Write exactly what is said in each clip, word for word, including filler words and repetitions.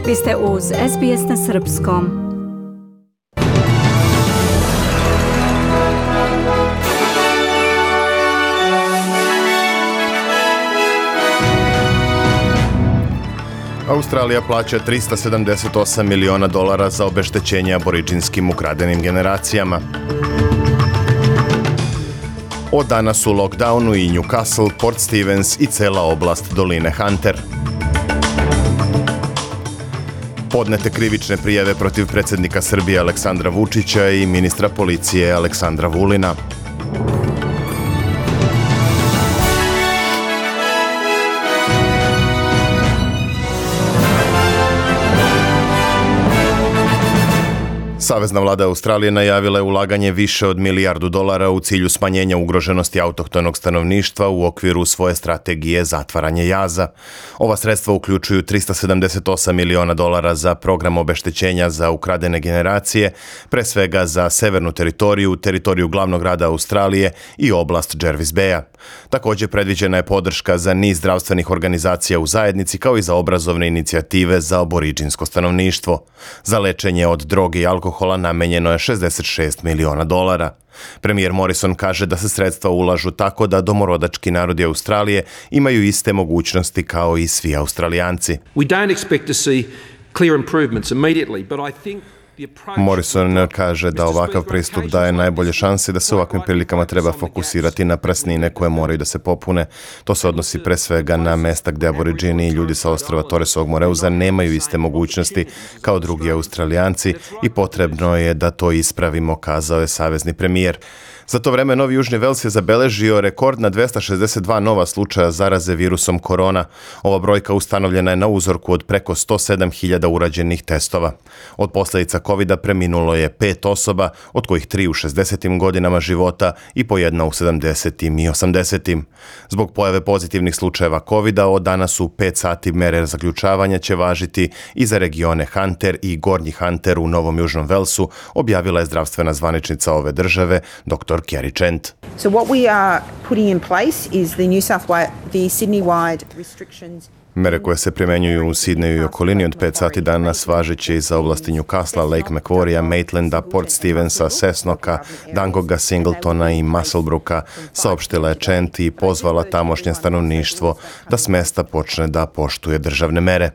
Vi ste uz S B S na srpskom. Australija plaća trista sedamdeset osam miliona dolara za obeštećenje aboridžinskim ukradenim generacijama. Od danas u lockdownu i Newcastle, Port Stephens i cela oblast doline Hunter. Podnete krivične prijave protiv predsjednika Srbije Aleksandra Vučića i ministra policije Aleksandra Vulina. Savezna vlada Australije najavila je ulaganje više od milijardu dolara u cilju smanjenja ugroženosti autohtonog stanovništva u okviru svoje strategije zatvaranja jaza. Ova sredstva uključuju trista sedamdeset osam miliona dolara za program obeštećenja za ukradene generacije, pre svega za severnu teritoriju, teritoriju glavnog grada Australije i oblast Jervis Baya. Također predviđena je podrška za niz zdravstvenih organizacija u zajednici kao i za obrazovne inicijative za aboridžinsko stanovništvo. Za lečenje od droge i alkohola namenjeno je šezdeset šest miliona dolara. Premijer Morrison kaže da se sredstva ulažu tako da domorodački narodi Australije imaju iste mogućnosti kao i svi Australijanci. We don't expect to see clear improvements immediately, but I think Morrison kaže da ovakav pristup daje najbolje šanse da se u ovakvim prilikama treba fokusirati na praznine koje moraju da se popune. To se odnosi pre svega na mesta gdje aboridžini i ljudi sa ostrva Torresovog Moreuza nemaju iste mogućnosti kao drugi Australijanci i potrebno je da to ispravimo, kazao je savezni premijer. Za to vreme Novi Južni Vels je zabeležio rekord na dvesta šezdeset dva nova slučaja zaraze virusom korona. Ova brojka ustanovljena je na uzorku od preko sto sedam hiljada urađenih testova. Od posljedica kovida preminulo je pet osoba, od kojih tri u šezdesetim godinama života i po jedna u sedamdesetim i osamdesetim. Zbog pojave pozitivnih slučajeva kovida, od danas u pet sati mere zaključavanja će važiti i za regione Hunter i Gornji Hunter u Novom Južnom Velsu, objavila je zdravstvena zvaničnica ove države, doktor Kerry Chant. So what we are putting in place is the New South Wales, the Sydney-wide restrictions. Mere koje se primjenjuju u Sidneju i okolini od pet sati danas važeće i za oblasti Newcastle, Lake Macquarie, Maitland, Port Stephensa, Cessnocka, Dangoga, Singletona i Muswellbrooka, saopštila je Chant i pozvala tamošnje stanovništvo da s mesta počne da poštuje državne mere.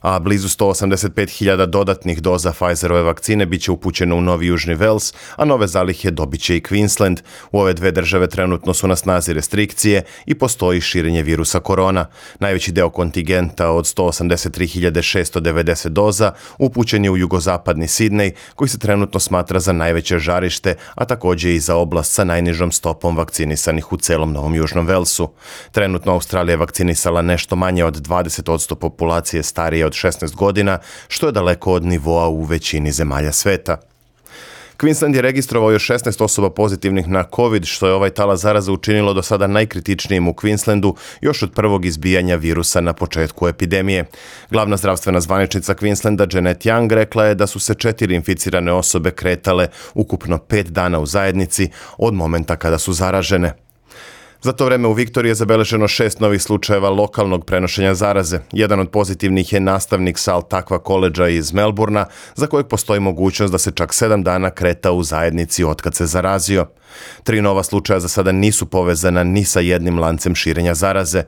A blizu sto osamdeset pet hiljada dodatnih doza Pfizerove vakcine biće upućeno u Novi Južni Vels, a nove zalihe dobit će i Queensland. U ove dve države trenutno su na snazi restrikcije i postoji širenje virusa korona. Najveći deo kontingenta od sto osamdeset tri hiljade šesto devedeset doza upućen je u jugozapadni Sidnej, koji se trenutno smatra za najveće žarište, a također i za oblast sa najnižom stopom vakcinisanih u celom Novom Južnom Velsu. Trenutno Australija je vakcinisala nešto manje od dvadeset posto populacije starije od šesnaest godina, što je daleko od nivoa u većini zemalja sveta. Queensland je registrovao još šesnaest osoba pozitivnih na COVID, što je ovaj talas zaraze učinilo do sada najkritičnijim u Queenslandu još od prvog izbijanja virusa na početku epidemije. Glavna zdravstvena zvaničnica Queenslanda Janet Young rekla je da su se četiri inficirane osobe kretale ukupno pet dana u zajednici od momenta kada su zaražene. Za to vreme u Viktoriji je zabeleženo šest novih slučajeva lokalnog prenošenja zaraze. Jedan od pozitivnih je nastavnik sa Takva koledža iz Melburna, za kojeg postoji mogućnost da se čak sedam dana kreta u zajednici otkad se zarazio. Tri nova slučaja za sada nisu povezana ni sa jednim lancem širenja zaraze.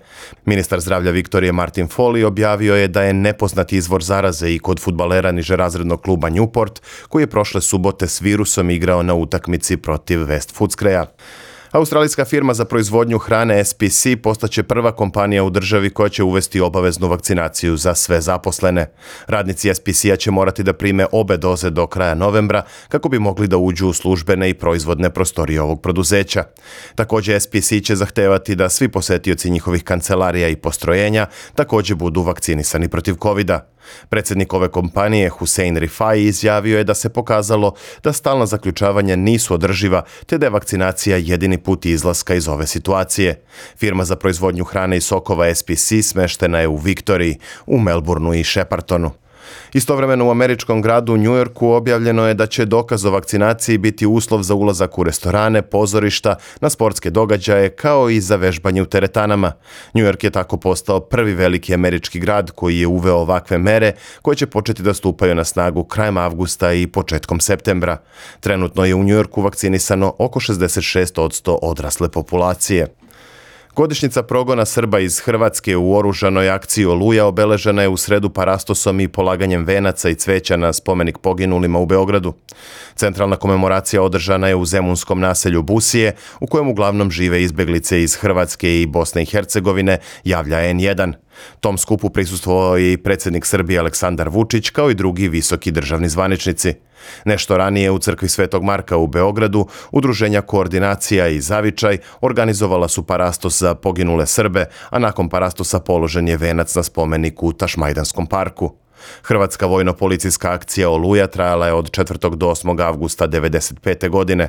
Ministar zdravlja Viktorije Martin Foley objavio je da je nepoznat izvor zaraze i kod fudbalera nižerazrednog kluba Newport, koji je prošle subote s virusom igrao na utakmici protiv West Footscraya. Australijska firma za proizvodnju hrane S P C postaće prva kompanija u državi koja će uvesti obaveznu vakcinaciju za sve zaposlene. Radnici S P C-a će morati da prime obe doze do kraja novembra kako bi mogli da uđu u službene i proizvodne prostorije ovog preduzeća. Također S P C će zahtevati da svi posetioci njihovih kancelarija i postrojenja također budu vakcinisani protiv kovida. Predsjednik ove kompanije Hussein Rifai izjavio je da se pokazalo da stalna zaključavanja nisu održiva te da je vakcinacija jedini put izlaska iz ove situacije. Firma za proizvodnju hrane i sokova S P C smeštena je u Viktoriji, u Melbourneu i Sheppartonu. Istovremeno u američkom gradu New Yorku objavljeno je da će dokaz o vakcinaciji biti uslov za ulazak u restorane, pozorišta, na sportske događaje kao i za vežbanje u teretanama. New York je tako postao prvi veliki američki grad koji je uveo ovakve mere koje će početi da stupaju na snagu krajem avgusta i početkom septembra. Trenutno je u New Yorku vakcinisano oko šezdeset šest posto odrasle populacije. Godišnjica progona Srba iz Hrvatske u oružanoj akciji Oluja obeležena je u sredu parastosom i polaganjem venaca i cveća na spomenik poginulima u Beogradu. Centralna komemoracija održana je u zemunskom naselju Busije, u kojem uglavnom žive izbeglice iz Hrvatske i Bosne i Hercegovine, javlja en jedan. Tom skupu prisustvovao je i predsjednik Srbije Aleksandar Vučić, kao i drugi visoki državni zvaničnici. Nešto ranije u crkvi Svetog Marka u Beogradu, udruženja Koordinacija i Zavičaj organizovala su parastos za poginule Srbe, a nakon parastosa položen je venac na spomenik u Tašmajdanskom parku. Hrvatska vojno-policijska akcija Oluja trajala je od četvrtog do osmog avgusta devedeset pete. godine.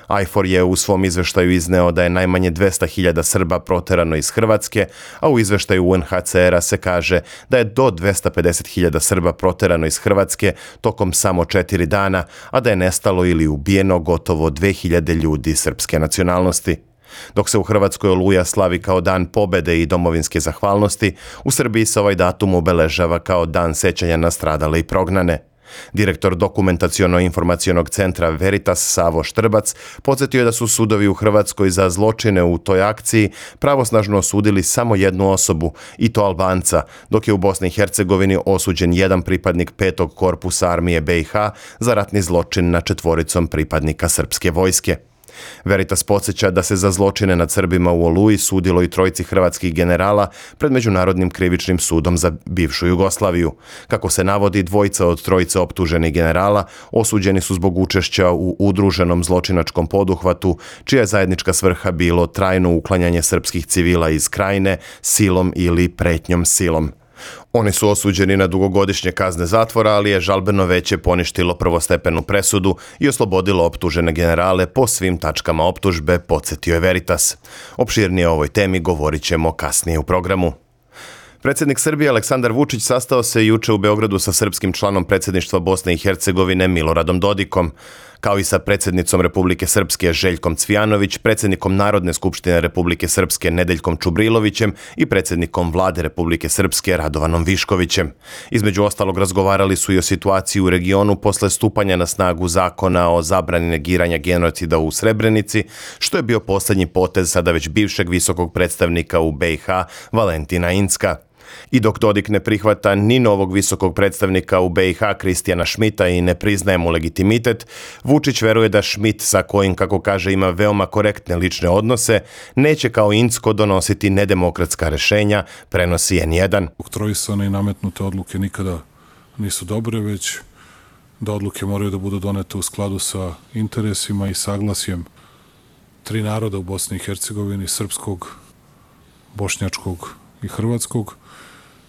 ajfor je u svom izveštaju izneo da je najmanje dvesta hiljada Srba proterano iz Hrvatske, a u izveštaju u en ha ce era se kaže da je do dvesta pedeset hiljada Srba proterano iz Hrvatske tokom samo četiri dana, a da je nestalo ili ubijeno gotovo dve hiljade ljudi srpske nacionalnosti. Dok se u Hrvatskoj Oluja slavi kao dan pobede i domovinske zahvalnosti, u Srbiji se ovaj datum obeležava kao dan sećanja na stradale i prognane. Direktor dokumentaciono-informacionog centra Veritas Savo Štrbac podsjetio je da su sudovi u Hrvatskoj za zločine u toj akciji pravosnažno osudili samo jednu osobu, i to Albanca, dok je u Bosni i Hercegovini osuđen jedan pripadnik petog korpusa armije be i ha za ratni zločin nad četvoricom pripadnika srpske vojske. Veritas podsjeća da se za zločine nad Srbima u Oluji sudilo i trojici hrvatskih generala pred Međunarodnim krivičnim sudom za bivšu Jugoslaviju. Kako se navodi, dvojica od trojice optuženih generala osuđeni su zbog učešća u udruženom zločinačkom poduhvatu, čija je zajednička svrha bilo trajno uklanjanje srpskih civila iz krajine silom ili pretnjom silom. Oni su osuđeni na dugogodišnje kazne zatvora, ali je žalbeno veće poništilo prvostepenu presudu i oslobodilo optužene generale po svim tačkama optužbe, podsjetio je Veritas. Opširnije o ovoj temi govorit ćemo kasnije u programu. Predsjednik Srbije Aleksandar Vučić sastao se juče u Beogradu sa srpskim članom predsjedništva Bosne i Hercegovine Miloradom Dodikom, kao i sa predsjednicom Republike Srpske Željkom Cvijanović, predsjednikom Narodne skupštine Republike Srpske Nedeljkom Čubrilovićem i predsjednikom Vlade Republike Srpske Radovanom Viškovićem. Između ostalog razgovarali su i o situaciji u regionu posle stupanja na snagu zakona o zabrani negiranja genocida u Srebrenici, što je bio posljednji potez sada već bivšeg visokog predstavnika u be i ha Valentina Incka. I dok Dodik ne prihvata ni novog visokog predstavnika u be i ha Kristijana Šmita i ne priznaje mu legitimitet, Vučić veruje da Šmit, sa kojim, kako kaže, ima veoma korektne lične odnose, neće kao Incko donositi nedemokratska rešenja, prenosi en jedan. Oktroisane i nametnute odluke nikada nisu dobre, već da odluke moraju da budu donete u skladu sa interesima i saglasjem tri naroda u Bosni i Hercegovini, srpskog, bošnjačkog i hrvatskog,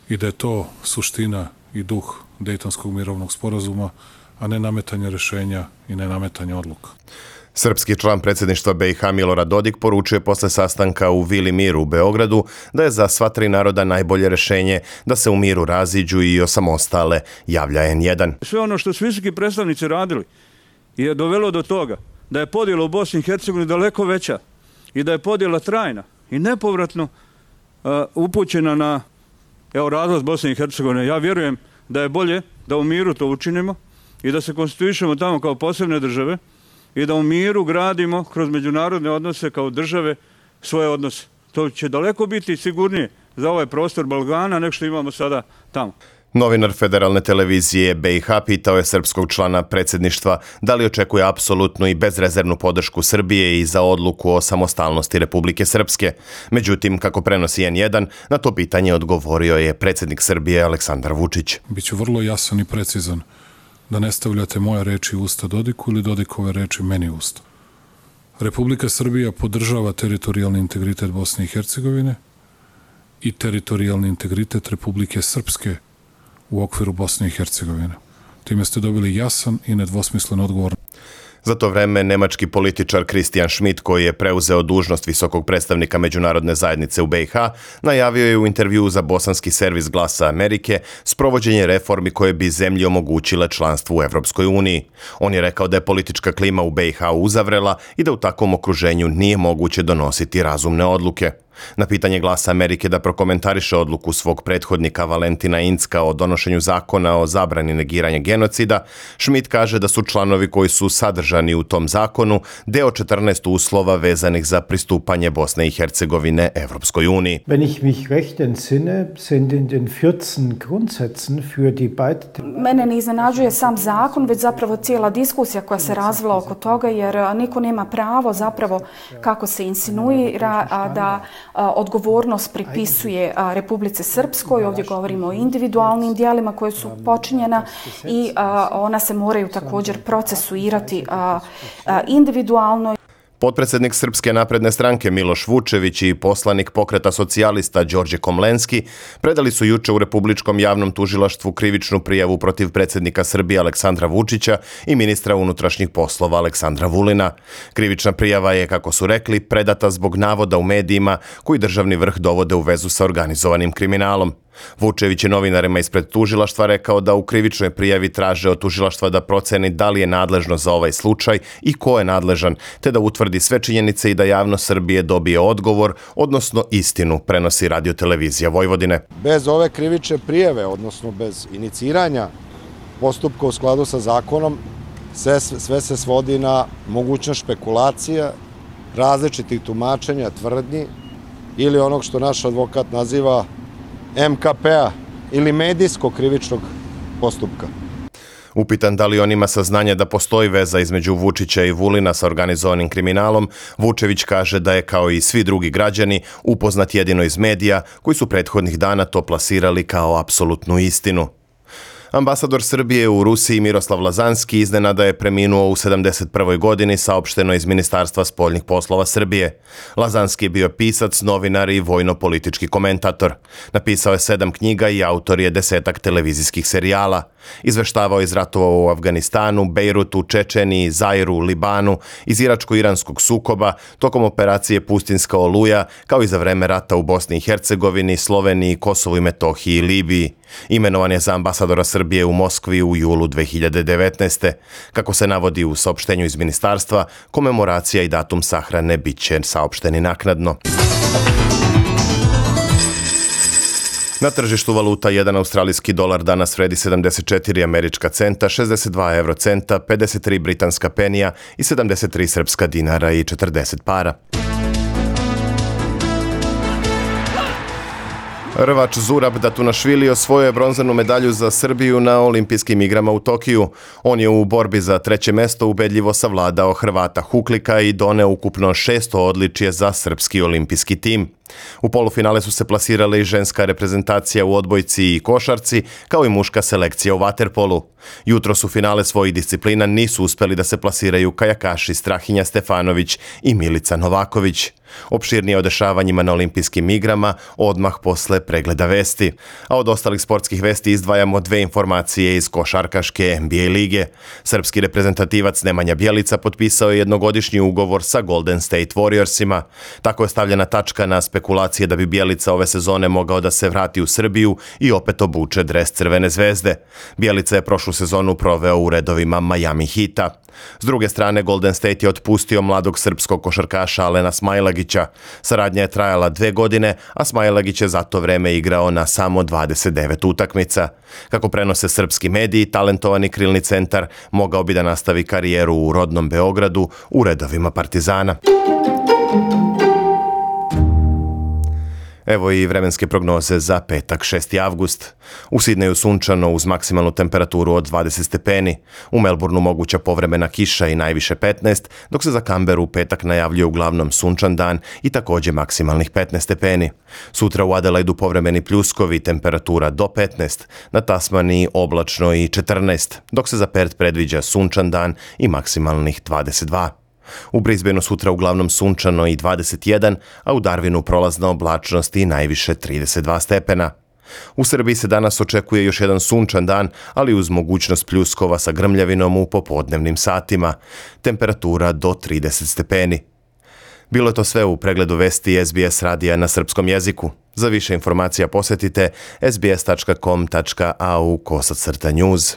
i da je to suština i duh Dejtonskog mirovnog sporazuma, a ne nametanje rešenja i ne nametanje odluka. Srpski član predsjedništva be i ha Milorad Dodik poručuje posle sastanka u Vili Mir u Beogradu da je za sva tri naroda najbolje rešenje da se u miru raziđu i osamostale, javlja en jedan. Sve ono što su visoki predstavnici radili je dovelo do toga da je podjela u Bosni i Hercegovini daleko veća i da je podjela trajna i nepovratno uh, upućena na evo razlaz Bosne i Hercegovine. Ja vjerujem da je bolje da u miru to učinimo i da se konstituišemo tamo kao posebne države i da u miru gradimo kroz međunarodne odnose kao države svoje odnose. To će daleko biti sigurnije za ovaj prostor Balkana nego što imamo sada tamo. Novinar Federalne televizije be i ha pitao je srpskog člana predsjedništva da li očekuje apsolutnu i bezrezervnu podršku Srbije i za odluku o samostalnosti Republike Srpske. Međutim, kako prenosi en jedan, na to pitanje odgovorio je predsjednik Srbije Aleksandar Vučić. Biću vrlo jasan i precizan, da ne stavljate moje reči u usta Dodiku ili Dodikove reči meni u usta. Republika Srbija podržava teritorijalni integritet Bosne i Hercegovine i teritorijalni integritet Republike Srpske u okviru Bosne i Hercegovine. Time ste dobili jasan i nedvosmislen odgovor. Za to vreme nemački političar Christian Schmidt, koji je preuzeo dužnost visokog predstavnika međunarodne zajednice u B i H, najavio je u intervjuu za bosanski servis Glasa Amerike sprovođenje reformi koje bi zemlji omogućile članstvo u Evropskoj uniji. On je rekao da je politička klima u B i H uzavrela i da u takvom okruženju nije moguće donositi razumne odluke. Na pitanje Glasa Amerike da prokomentariše odluku svog prethodnika Valentina Incka o donošenju zakona o zabrani negiranja genocida, Schmidt kaže da su članovi koji su sadržani u tom zakonu deo četrnaest uslova vezanih za pristupanje Bosne i Hercegovine Evropskoj uniji. Wenn ich mich recht entsinne, sind in den vierzehn Grundsätzen für die beide... Mene ne iznenađuje sam zakon, već zapravo cijela diskusija koja se razvila oko toga, jer niko nema pravo zapravo, kako se insinuira, da odgovornost pripisuje Republici Srpskoj. Ovdje govorimo o individualnim dijelima koje su počinjena i ona se moraju također procesuirati individualno. Potpredsjednik Srpske napredne stranke Miloš Vučević i poslanik Pokreta socijalista Đorđe Komlenski predali su juče u Republičkom javnom tužilaštvu krivičnu prijavu protiv predsjednika Srbije Aleksandra Vučića i ministra unutrašnjih poslova Aleksandra Vulina. Krivična prijava je, kako su rekli, predata zbog navoda u medijima koji državni vrh dovode u vezu sa organizovanim kriminalom. Vučević je novinarima ispred tužilaštva rekao da u krivičnoj prijavi traže od tužilaštva da proceni da li je nadležno za ovaj slučaj i ko je nadležan, te da utvrdi sve činjenice i da javnost Srbije dobije odgovor, odnosno istinu, prenosi Radio-televizija Vojvodine. Bez ove krivične prijave, odnosno bez iniciranja postupka u skladu sa zakonom, sve, sve se svodi na mogućnost špekulacija, različitih tumačenja, tvrdnji ili onog što naš advokat naziva M K P-a ili medijskog krivičnog postupka. Upitan da li on ima saznanja da postoji veza između Vučića i Vulina sa organizovanim kriminalom, Vučević kaže da je, kao i svi drugi građani, upoznat jedino iz medija koji su prethodnih dana to plasirali kao apsolutnu istinu. Ambasador Srbije u Rusiji Miroslav Lazanski iznenada je preminuo u sedamdeset prvoj godini, saopšteno iz Ministarstva spoljnih poslova Srbije. Lazanski je bio pisac, novinar i vojno-politički komentator. Napisao je sedam knjiga i autor je desetak televizijskih serijala. Izveštavao iz ratova u Afganistanu, Bejrutu, Čečeniji, Zairu, Libanu, iz iračko-iranskog sukoba, tokom operacije Pustinska oluja, kao i za vreme rata u Bosni i Hercegovini, Sloveniji, Kosovu i Metohiji i Libiji. Imenovan je za ambasadora Srbije u Moskvi u julu dve hiljade devetnaeste. Kako se navodi u saopštenju iz ministarstva, komemoracija i datum sahrane bit će saopšteni naknadno. Na tržištu valuta jedan australijski dolar danas vredi sedamdeset četiri američka centa, šezdeset dva eurocenta, pedeset tri britanska penija i sedamdeset tri srpska dinara i četrdeset para. Rvač Zurab Datunašvili osvojio je bronzanu medalju za Srbiju na olimpijskim igrama u Tokiju. On je u borbi za treće mesto ubedljivo savladao Hrvata Huklika i doneo ukupno šesto odličje za srpski olimpijski tim. U polufinale su se plasirale i ženska reprezentacija u odbojci i košarci, kao i muška selekcija u vaterpolu. Jutros u finale svojih disciplina nisu uspeli da se plasiraju kajakaši Strahinja Stefanović i Milica Novaković. Opširnije o dešavanjima na olimpijskim igrama odmah posle pregleda vesti. A od ostalih sportskih vesti izdvajamo dve informacije iz košarkaške N B A lige. Srpski reprezentativac Nemanja Bjelica potpisao je jednogodišnji ugovor sa Golden State Warriorsima. Tako je stavljena tačka na spekulacije da bi Bjelica ove sezone mogao da se vrati u Srbiju i opet obuče dres Crvene zvezde. Bjelica je prošlu sezonu proveo u redovima Miami Heata. S druge strane, Golden State je otpustio mladog srpskog košarkaša Alena Smailagića. Saradnja je trajala dve godine, a Smailagić je za to vreme igrao na samo dvadeset devet utakmica. Kako prenose srpski mediji, talentovani krilni centar mogao bi da nastavi karijeru u rodnom Beogradu u redovima Partizana. Evo i vremenske prognoze za petak šesti avgust. U Sidneju sunčano uz maksimalnu temperaturu od dvadeset stepeni. U Melbourneu moguća povremena kiša i najviše petnaest, dok se za Canberu u petak najavljuje uglavnom sunčan dan i također maksimalnih petnaest stepeni. Sutra u Adelaidu povremeni pljuskovi, temperatura do petnaest, na Tasmaniji oblačno i četrnaest, dok se za Perth predviđa sunčan dan i maksimalnih dvadeset dva. U Brisbaneu sutra uglavnom sunčano i dvadeset jedan, a u Darwinu prolazna oblačnost i najviše trideset dva stepena. U Srbiji se danas očekuje još jedan sunčan dan, ali uz mogućnost pljuskova sa grmljavinom u popodnevnim satima. Temperatura do trideset stepeni. Bilo je to sve u pregledu vesti S B S radija na srpskom jeziku. Za više informacija posjetite s b s tačka com tačka a u kosacrta news.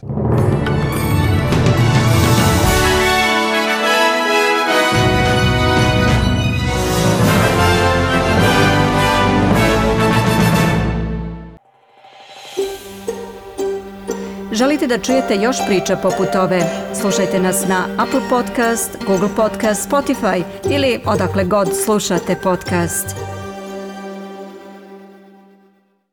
Želite da čujete još priča poput ove? Slušajte nas na Apple Podcast, Google Podcast, Spotify ili odakle god slušate podcast.